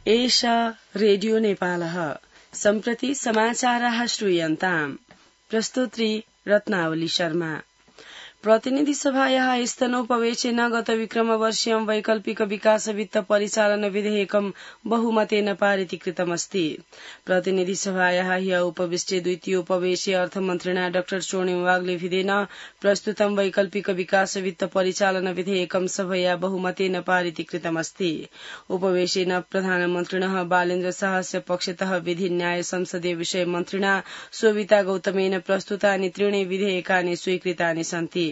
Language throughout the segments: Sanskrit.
एषा रेडियो नेपालः सम्प्रति समाचाराः श्रूयन्ताम्। प्रस्तुत्री रत्नावली शर्मा। प्रतिनिधि सभायाः स्तनोपवेशेन गत विक्रमवर्षीयं वैकल्पिक विकास वित्त परिचालन विधेयकं बहुमतेन पारितीकृतमस्ति। प्रतिनिधि सभायाः ह्य उपविष्टे द्वितीय उपवेशे अर्थमन्त्रिणा डाक्टर स्वर्णिम वाग्लेभिदेन प्रस्तुतं वैकल्पिक विकास वित्त परिचालन विधेयकं सभया बहुमतेन पारितीकृतमस्ति। उपवेशेन प्रधानमन्त्रिणः बालेन्द्र शाहस्य पक्षतः विधि न्याय संसदीय विषय मन्त्रिणा शोभिता गौतमेन प्रस्तुतानि त्रीणि विधेयकानि स्वीकृतानि सन्ति।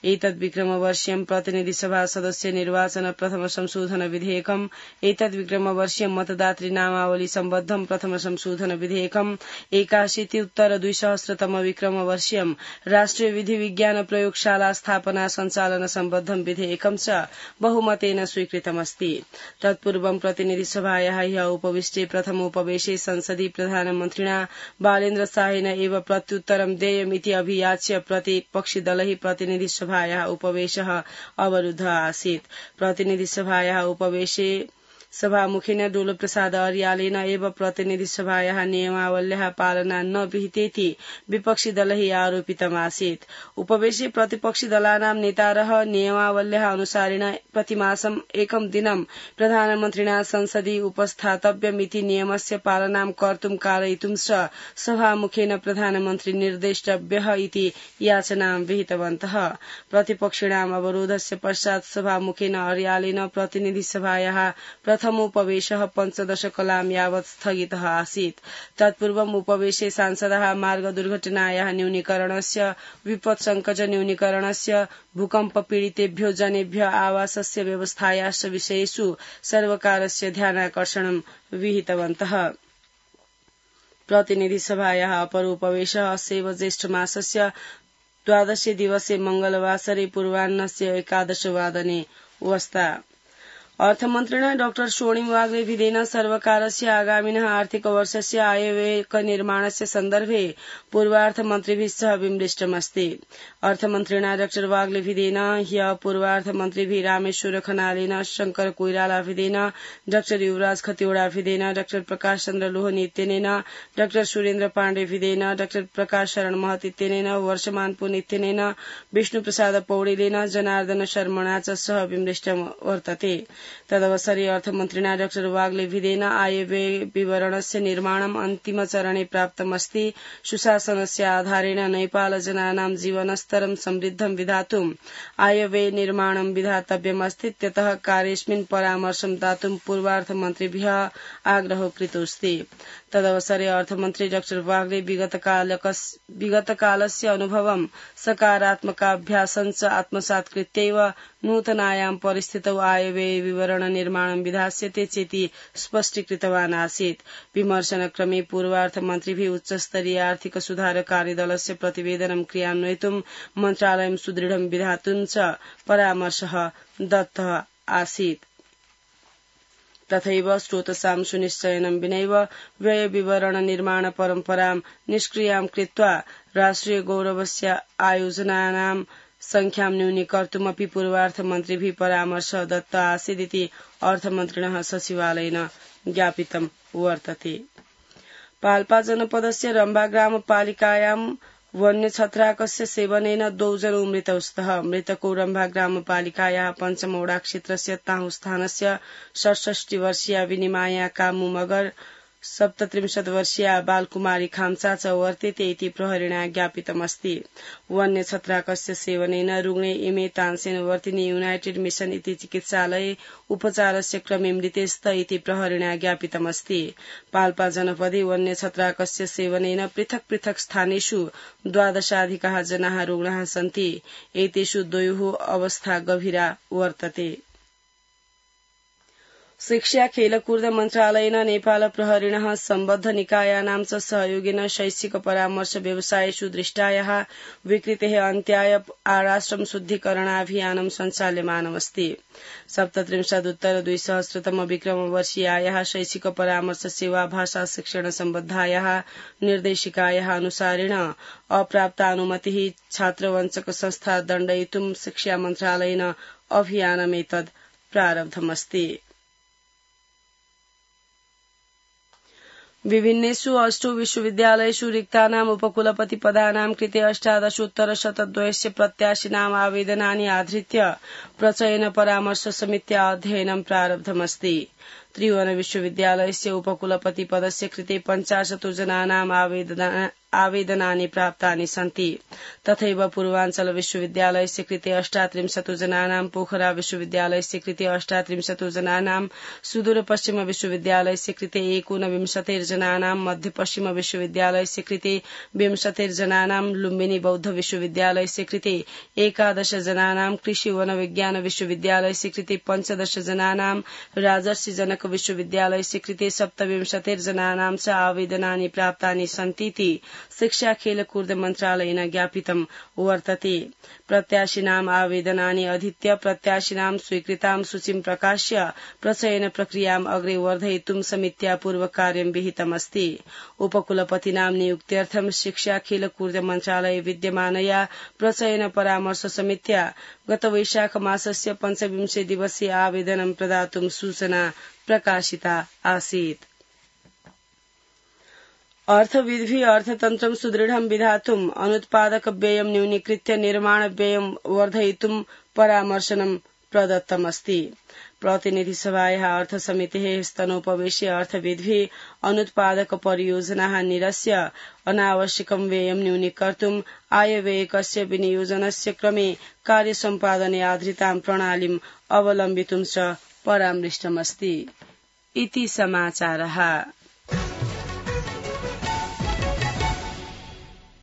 एतद् विक्रमवर्षीयं प्रतिनिधि सभा सदस्य निर्वाचन प्रथम संशोधन विधेयकम्, एतद् विक्रमवर्षीयं मतदातृ नामावली सम्बद्धं प्रथम संशोधन विधेयकम्, 81 विक्रमवर्षीयं राष्ट्रिय विधि विज्ञान प्रयोगशाला स्थापना सञ्चालन सम्बद्धं विधेयकं च बहुमतेन स्वीकृतमस्ति। तत्पूर्वं प्रतिनिधि सभायाः ह्य उपविष्टे प्रथमोपवेशे संसदि प्रधानमन्त्रिणा बालेन्द्र शाहेन एव प्रत्युत्तरं देयमिति अभियाच्य प्रतिपक्षिदलैः प्रतिनिधि सभायाः उपवेशः अवरुद्ध आसीत्। प्रतिनिधि सभायाः उपवेशे सभामुखेन डोल प्रसाद अर्यालेन एव प्रतिनिधि सभायाः नियमावल्याः पालना न विहितेति विपक्षी दलैः आरोपितमासीत्। उपवेशे प्रतिपक्षी दलानां नेतारः नियमावल्याः अनुसारेण प्रतिमासं एकं दिनं प्रधानमन्त्रिणा संसदि उपस्थातव्यमिति नियमस्य पालनां कर्तुं कारयितुं च सभामुखेन प्रधानमन्त्री निर्देष्टव्यः इति याचनां विहितवन्तः। प्रतिपक्षिणाम् अवरोधस्य पश्चात् सभामुखेन अर्यालेन प्रतिनिधि सभायाः प्रथमोपवेशः 15 कलां यावत् स्थगितः आसीत्। तत्पूर्वम् उपवेशे सांसदाः मार्ग दुर्घटनायाः न्यूनीकरणस्य, विपत् संकट न्यूनीकरणस्य, भूकम्प पीडितेभ्यो जनेभ्य आवासस्य व्यवस्थायाश्च विषयेषु सर्वकारस्य ध्यानाकर्षणं विहितवन्तः। प्रतिनिधि सभायाः अपर उपवेशः अस्यैव ज्येष्ठ मासस्य 12 दिवसे मंगलवासरे पूर्वाह्नस्य 11 वादने वस्ता। अर्थमन्त्रिणा डाक्टर स्वर्णिम वाग्लेभिदेन सर्वकारस्य आगामिनः आर्थिक वर्षस्य आयव्ययनिर्माणस्य सन्दर्भे पूर्वार्थमन्त्रिभिः सह विमृष्टमस्ति। अर्थमन्त्रिणा डाक्टर वाग्लेभिदेन ह्य पूर्वार्थमन्त्रिभिः रामेश्वर खनालेन, शंकर कोइरालाभिदेन, डाक्टर युवराज खतिवड़ाभिदेन, डाक्टर प्रकाश चन्द्र लोहनी इत्यनेन, डाक्टर सुरेन्द्र पाण्डेभिदेन, डाक्टर प्रकाश शरण महत इत्यनेन, वर्षमान पुन इत्यनेन, विष्णु प्रसाद पौडेलेन, जनार्दन शर्मणा च सह विमृष्टं वर्तते। तदवसरे अर्थमन्त्रिणा डाक्टर वाग्लेभिदेन आयव्यय विवरणस्य निर्माणम् अन्तिम चरणे प्राप्तमस्ति। सुशासनस्य आधारेण नेपाल जनानां जीवनस्तरं समृद्धं विधातुं आयव्यय निर्माणं विधातव्यमस्ति। त्यतः कार्येऽस्मिन् परामर्शं दातुं पूर्वार्थमन्त्रिभ्यः आग्रहो कृतोऽस्ति। तदवसरे अर्थमन्त्री डाक्टर वाग्ले विगतकालस्य अनुभवं सकारात्मकाभ्यासञ्च आत्मसात् कृत्यैव नूतनायां परिस्थितौ आयव्यय विवरण निर्माणं विधास्यते चेति स्पष्टीकृतवान् आसीत्। विमर्शनक्रमे पूर्वार्थमन्त्रिभिः उच्चस्तरीय आर्थिक सुधार कार्यदलस्य प्रतिवेदनं क्रियान्वयितुं मन्त्रालयं सुदृढं विधातुं च परामर्शः दत्तः आसीत्। तथैव स्रोतसां सुनिश्चयनं विनैव व्यय विवरण निर्माण परम्परां निष्क्रियां कृत्वा राष्ट्रिय गौरवस्य आयोजनानां संख्यां न्यूनीकर्तुमपि पूर्वार्थमन्त्रिभिः परामर्शः दत्तः आसीदिति अर्थमन्त्रिणः सचिवालयेन ज्ञापितं वर्तते। पाल्पा जनपदस्य रम्बा ग्रामपालिकायां वन्यछत्राकस्य सेवनेन 2 जनौ मृतौ स्तः। मृतको रम्भा ग्रामपालिकायाः पञ्चमौडा क्षेत्रस्य ताहु स्थानस्य 67 वर्षीया विनिमाया कामु मगर, 37 वर्षीया बालकुमारी खाम्चा च वर्तेते इति प्रहरिणा ज्ञापितमस्ति। वन्यछत्राकस्य सेवनेन रुग्णे इमे तानसेन वर्तिनी युनाइटेड मिशन इति चिकित्सालये उपचारस्य क्रमे मृतेस्त इति प्रहरिणा ज्ञापितमस्ति। पाल्पा जनपदे वन्यछत्राकस्य सेवनेन पृथक् पृथक् स्थानेषु 12 जनाः रुग्णाः सन्ति। एतेषु 2 अवस्था गभीरा वर्तते। शिक्षा खेलकूद मन्त्रालयेन नेपाल प्रहरिणः सम्बद्ध निकायानां च सहयोगेन शैक्षिक परामर्श व्यवसायेषु दृष्टायाः विकृतेः अन्त्याय आराश्रम शुद्धिकरणाभियानं सञ्चाल्यमानमस्ति। 37 विक्रमवर्षीयायाः शैक्षिक परामर्श सेवा भाषा शिक्षण सम्बद्धायाः निर्देशिकायाः अनुसारेण अप्राप्तानुमतिः छात्रवञ्चक संस्था दण्डयितुं शिक्षा मन्त्रालयेन अभियानमेतद् प्रारब्धमस्ति। विभिन्नेषु अष्टौ विश्वविद्यालयेषु रिक्तानाम् उपकुलपति पदानां कृते 18,102 प्रत्याशिनाम् आवेदनानि आधृत्य प्रचयन परामर्श समित्या अध्ययनं प्रारब्धमस्ति। त्रिभुवन विश्वविद्यालयस्य उपकुलपति पदस्य कृते 50 जनानाम् आवेदनानि प्राप्तानि सन्ति। तथैव पूर्वाञ्चल विश्वविद्यालयस्य कृते 38 जनानां, पोखरा विश्वविद्यालयस्य कृते 38 जनानां, सुदूरपश्चिम विश्वविद्यालयस्य कृते 29 जनानां, मध्यपश्चिम विश्वविद्यालयस्य कृते 20 जनानां, लुम्बिनी बौद्ध विश्वविद्यालयस्य कृते 11 जनानां, कृषि वन विज्ञान विश्वविद्यालयस्य कृते 15 जनानां, राजर्षि जनक विश्वविद्यालयस्य कृते 27 जनानां च आवेदनानि प्राप्तानि सन्तीति शिक्षा खेलकूद मन्त्रालयेन ज्ञापितं वर्तते। प्रत्याशिनाम् आवेदनानि अधीत्य प्रत्याशिनां स्वीकृतां सूचीं प्रकाश्य प्रचयन प्रक्रियाम् अग्रे वर्धयितुं समित्या पूर्वकार्यं विहितमस्ति। उपकुलपतीनां नियुक्त्यर्थं शिक्षा खेलकूद मन्त्रालये विद्यमानया प्रचयन परामर्श समित्या गत वैशाख मासस्य 25 दिवसीय आवेदनं प्रदातुं सूचना प्रकाशिता आसीत्। अर्थविधि अर्थतन्त्रं सुदृढं विधातुम् अनुत्पादक व्ययं न्यूनीकृत्य निर्माण व्ययं वर्धयितुं परामर्शनं प्रदत्तमस्ति। प्रतिनिधि सभायाः अर्थसमितेः स्तनोपवेशे अर्थविधि अनुत्पादक परियोजनाः निरस्य अनावश्यकं व्ययं न्यूनीकर्तुम् आयव्ययकस्य विनियोजनस्य क्रमे कार्यसम्पादने आधारितां प्रणालीम् अवलम्बितुं च परामृष्टमस्ति। इति समाचारः।